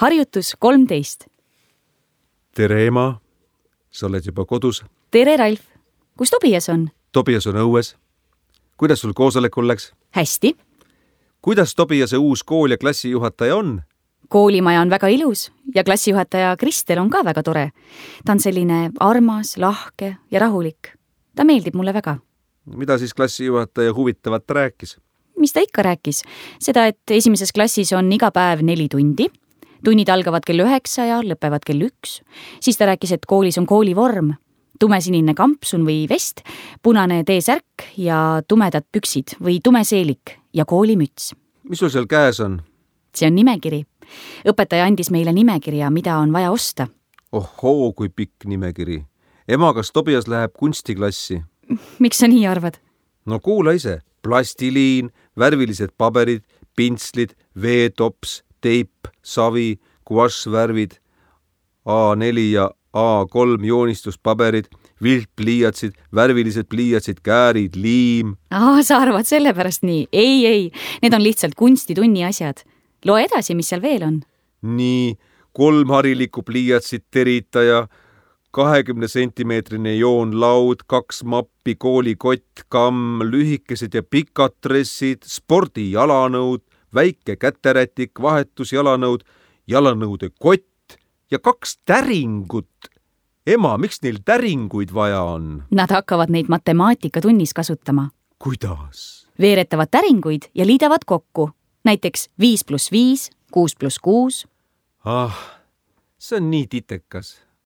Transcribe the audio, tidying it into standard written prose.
Harjutus 13. Tere, ema. Sa oled juba kodus. Tere, Ralf. Kus Tobias on? Tobias on õues. Kuidas sul koosolekul läks? Hästi. Kuidas Tobiase uus kool ja klassijuhataja on? Koolimaja on väga ilus ja klassijuhataja Kristel on ka väga tore. Ta on selline armas, lahke ja rahulik. Ta meeldib mulle väga. Mida siis klassijuhataja huvitavat rääkis? Mis ta ikka rääkis? Seda, et esimeses klassis on iga päev 4 tundi. Tunnid algavad kell 9 ja lõpevad kell 1. Siis ta rääkis, et koolis on koolivorm. Tumesinine kampsun või vest, punane T-särk ja tumedad püksid või tumeseelik ja koolimüts. Mis sul seal käes on? See on nimekiri. Õpetaja andis meile nimekirja, mida on vaja osta. Ohoo, kui pikk nimekiri. Ema, kas Tobias läheb kunstiklassi? Miks sa nii arvad? No kuula ise. Plastiliin, värvilised paberid, pintslid, veetops, teip, savi, guašvärvid, A4 ja A3 joonistuspaberid, viltpliiatsid, värvilised pliiatsid, käärid, liim. Sa arvad sellepärast nii? Ei, need on lihtsalt kunstitunni asjad. Loe edasi, mis seal veel on. Nii, 3 harilikku pliiatsid, teritaja, 20 sentimeetrine joonlaud, 2 mappi, koolikott, kamm, lühikesed ja pikad dressid, spordijalanõud, väike käterätik, vahetusjalanõud, jalanõude kott ja 2 täringut. Ema, miks neil täringuid vaja on? Nad hakkavad neid matemaatikatunnis kasutama. Kuidas? Veeretavad täringuid ja liidavad kokku. Näiteks 5 + 5, 6 + 6. See on nii titekas.